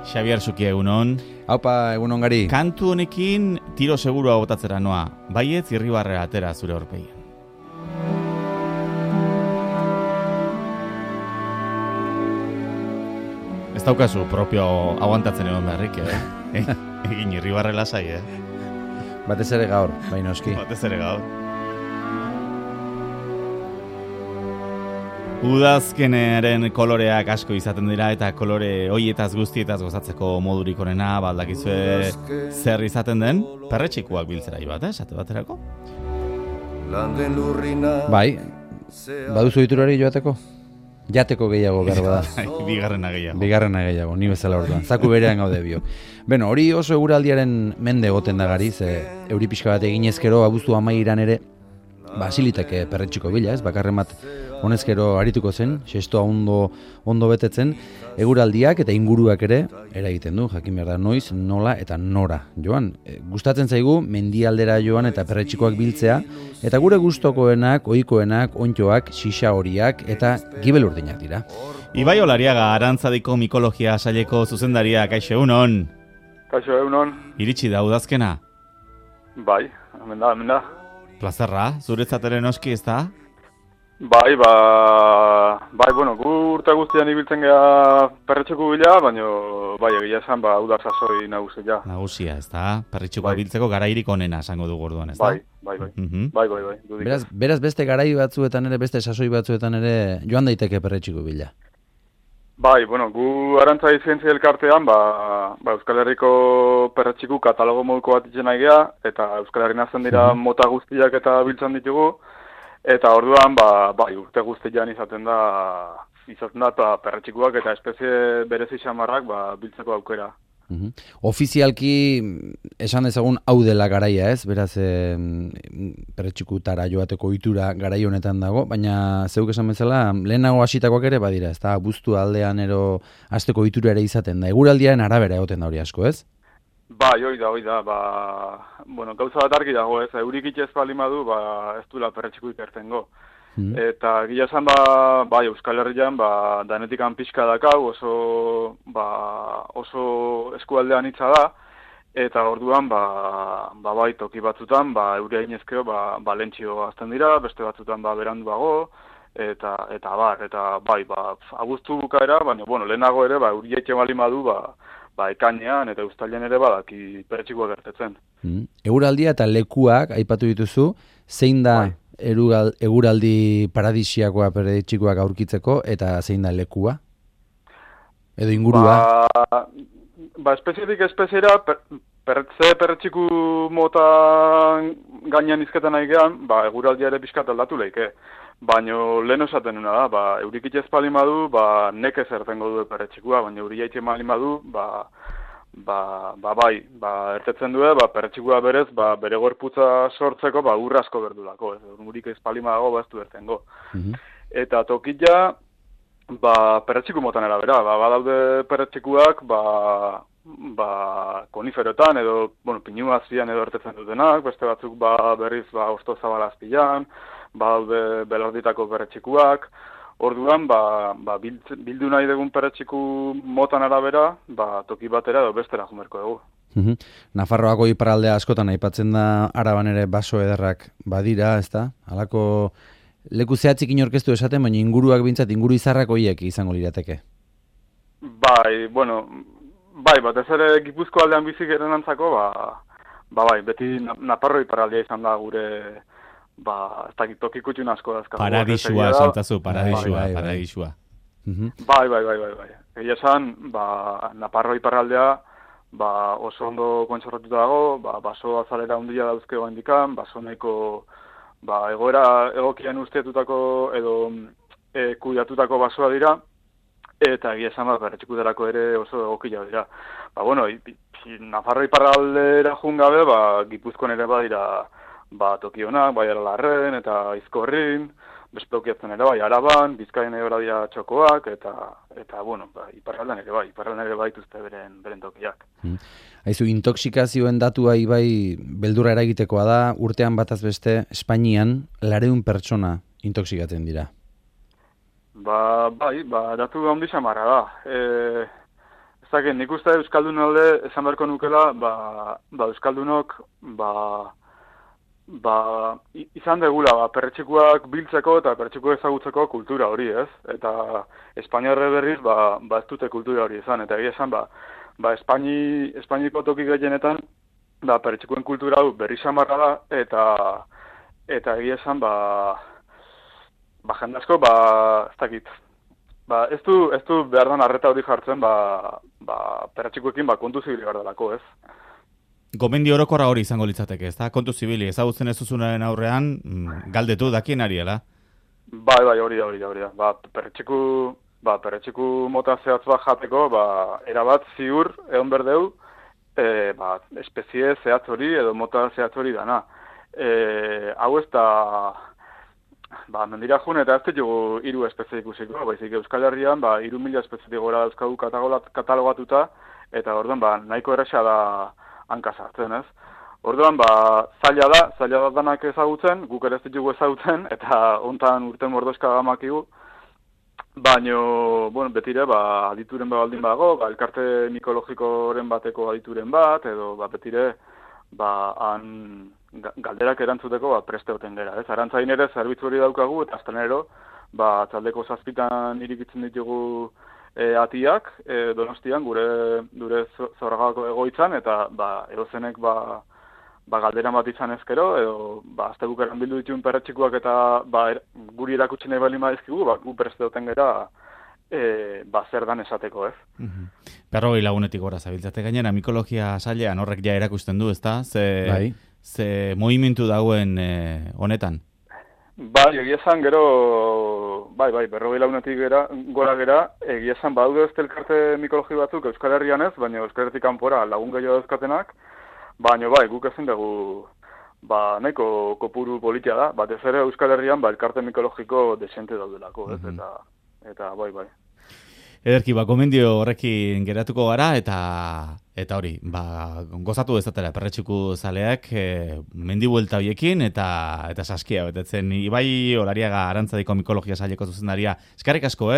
Xabier Suki, egunon. Haupa, egunon gari. Kantu honekin tiro segurua botatzera noa. Baietz Irribarrea atera zure aurpegian. Ez daukazu propio aguantatzen egon beharrik, egin Irribarre lasai, Batez ere gaur, baina oski. Batez ere gaur. Udazkenaren koloreak asko izaten dira eta kolore hoietaz guztietaz gozatzeko modurik onena, baldakizue zer izaten den, perretxikuak biltzera bat, esate baterako? Bai, baduzu diturari joateko? Jateko gehiago behar da. Bigarrena gehiago, ni bezala orduan. Zaku berean gaude bio. Beno, hori oso eguraldiaren mende goten da gari, ze euri pixka bat eginezkero abuztu amairan ere, basiliteke perretxiko bila, ez? Bakarren bat honezkero arituko zen, xestoa ondo betetzen, eguraldiak eta inguruak ere eragiten du, jakin behar da noiz, nola eta nora. Joan, gustatzen zaigu mendialdera joan eta perretxikoak biltzea, eta gure gustokoenak, ohikoenak, ontxoak, xixa horiak eta gibel urdinak dira. Ibai Olariaga, Arantzadiko mikologia saileko zuzendaria, kaixo egunon. Kaixo egunon. Iritsi da udazkena? Bai, hemen da. Plazerra, zuretzat ere noski, ez da? Bai, bueno, gu urte guztian ibiltzen geha perretxeko bila, baina bai, egia esan, udar sasoi nagusia. Nagusia, ez da? Perretxekoa biltzeko garairik onena esango dugu orduan, ez da? Bai. Beraz beste garai batzuetan ere, beste sasoi batzuetan ere joan daiteke perretxeko bila. Bai, bueno, gu Arantzadi Zientzia Elkartean, Euskal Herriko perretxiku katalogo moduko bat itzen nahi geha, eta Euskal Herrin azten dira mota guztiak eta biltzen ditugu, eta orduan, urte guztian izaten da eta perretxikuak eta espezie berezi xamarrak biltzeko aukera. Ofizialki esan dezagun hau dela garaia, ez? Beraz, perretxikutara joateko ohitura garai honetan dago, baina zeuk esan bezala, lehenago hasitakoak ere badira, ez da? Abuztu aldean ero hasteko ohitura ere izaten da. Eguraldiaren arabera egoten da hori asko, ez? Bai, hoi da. Bueno, gauza bat argi dago, ez? Eurik itxez balima du, ez duela perretxiku ikertengo. Eta gila esan Euskal Herrian danetikan pixka dakau, oso eskualdean hitza da, eta orduan bai toki batzutan euria inezkeo lentzio azten dira, beste batzutan beranduago, eta bai, abuztu bukaera, baina lehenago ere euria itxe balimadu ekainean eta uztailean ere badaki perretxikoa gertetzen. Eguraldia eta lekuak aipatu dituzu, zein da eguraldi paradisiakoa perretxikoak aurkitzeko eta zein da lekua? Edo ingurua? Espezietik espeziera, perretxiku mota gainean izketan nahi gehan, eguraldia ere pixkat aldatu leike. Baina lehen esaten nuna da, eurik itxez palimadu, nekez ertengo du perretxikua, baina euria itxe palimadu, ertetzen du, perretxikua berez, bere gorputza sortzeko, urra asko berdulako, urik ez palimadago, ez du ertengo. Eta tokila, perretxiku motan erabera, badaude perretxikuak, koniferoetan, edo, pinu azian edo ertetzen dutenak, beste batzuk berriz, osto zabalazpilan, badaude belarditako perretxikuak, orduan, bildu nahi dugun perretxiku motan arabera, toki batera edo bestera jumerko dugu. Nafarroako iparraldea askotan aipatzen da Araban ere baso ederrak badira, ez da? Halako leku zehatzik inorkeztu esaten, baina inguruak bintzat, inguru izarrak horiek izango lirateke. Batez ere Gipuzko aldean bizik erenantzako, beti Nafarro iparraldea izan da gure ez dakit toki kutxun asko dazka. Paradisua, esantazu, paradisua. Bai. Egia esan, Nafarro iparraldea oso ondo kontserratuta dago, baso azalera hundila dauzke oendikan, baso nahiko egoera egokian usteatutako edo kuidatutako basoa dira, eta egia esan perretxikutarako ere oso egokila dira. Nafarro iparraldera jungabe, Gipuzkoan ere badira tokionak, Aralarren eta Izkorrin, bespeukiatzen ere Araban, Bizkaien ere dira txokoak, eta iparraldan ere baituzte beren tokiak. Haizu, intoxikazioen datua ibai beldurra eragitekoa da, urtean bataz beste Espainian 400 pertsona intoxikatzen dira. Datu handi xamarra da. dakit, nik uste Euskaldun alde esan beharko nukela, Euskaldunok, izan degula, perretxikuak biltzeko eta perretxikuak ezagutzeko kultura hori, ez? Eta Espainiarre berriz, ez dute kultura hori izan. Eta egia esan, Espainiko toki gehienetan, perretxikuen kultura hau berri samarra da, eta egia esan, jende asko, ez dakit, ez du behar dan arreta hori jartzen, perretxikuekin kontu zibili behar delako, ez? Gomendio orokorra hori izango litzateke, ez da? Kontu zibili, ezagutzen ez duzunaren aurrean, galdetu dakien ariela? Bai, hori da. Perretxiku mota zehatz bat jateko, erabat ziur egon berdeu, espezie zehatz hori edo mota zehatz hori dana. Hau ez da, mendira jun eta ez dugu 3 espezie ikusiko, baizik Euskal Herrian 3.000 espezie gora dauzkagu katalogatuta, eta orduan nahiko erresa da hanka sartzen, ez? Orduan, zaila da danak ezagutzen, guk ere ez ditugu ezagutzen, eta hontan urten mordoska gamakigu, baino, betire, adituren baldin bago, elkarte mikologikoren bateko adituren bat, edo betire, han galderak erantzuteko preste hoten gera, ez? Arantzain ere zerbitzu hori daukagu, eta aztenero, txaldeko 7 irikitzen ditugu atiak, Donostian, gure Zorragako egoitzan, eta edozenek galdera bat izan ezkero, edo azte bukeran bildu dituen perretxikuak eta guri erakutsi nahi bali maizkigu, gu preste duten gera zer dan esateko, ez? 40 lagunetik gora zabiltzate gainera, mikologia sailean horrek ja erakusten du, ezta? Ze movimentu dagoen honetan? Egia esan gero, 40 lagunetik gora gera, egia esan badaude ez elkarte mikologi batzuk Euskal Herrian ez, baina Euskal Herritik kanpora lagun gehiago dauzkatenak, baina guk ezin dugu nahiko kopuru politia da, batez ere Euskal Herrian elkarte mikologiko desente daudelako, ez? Eta bai. Ederki, gomendio horrekin geratuko gara, eta hori, gozatu dezatela perretxiku zaleak mendibuelta horiekin eta saskia betetzen. Ibai Olariaga Arantzadiko mikologia saileko zuzendaria. Eskerrik asko,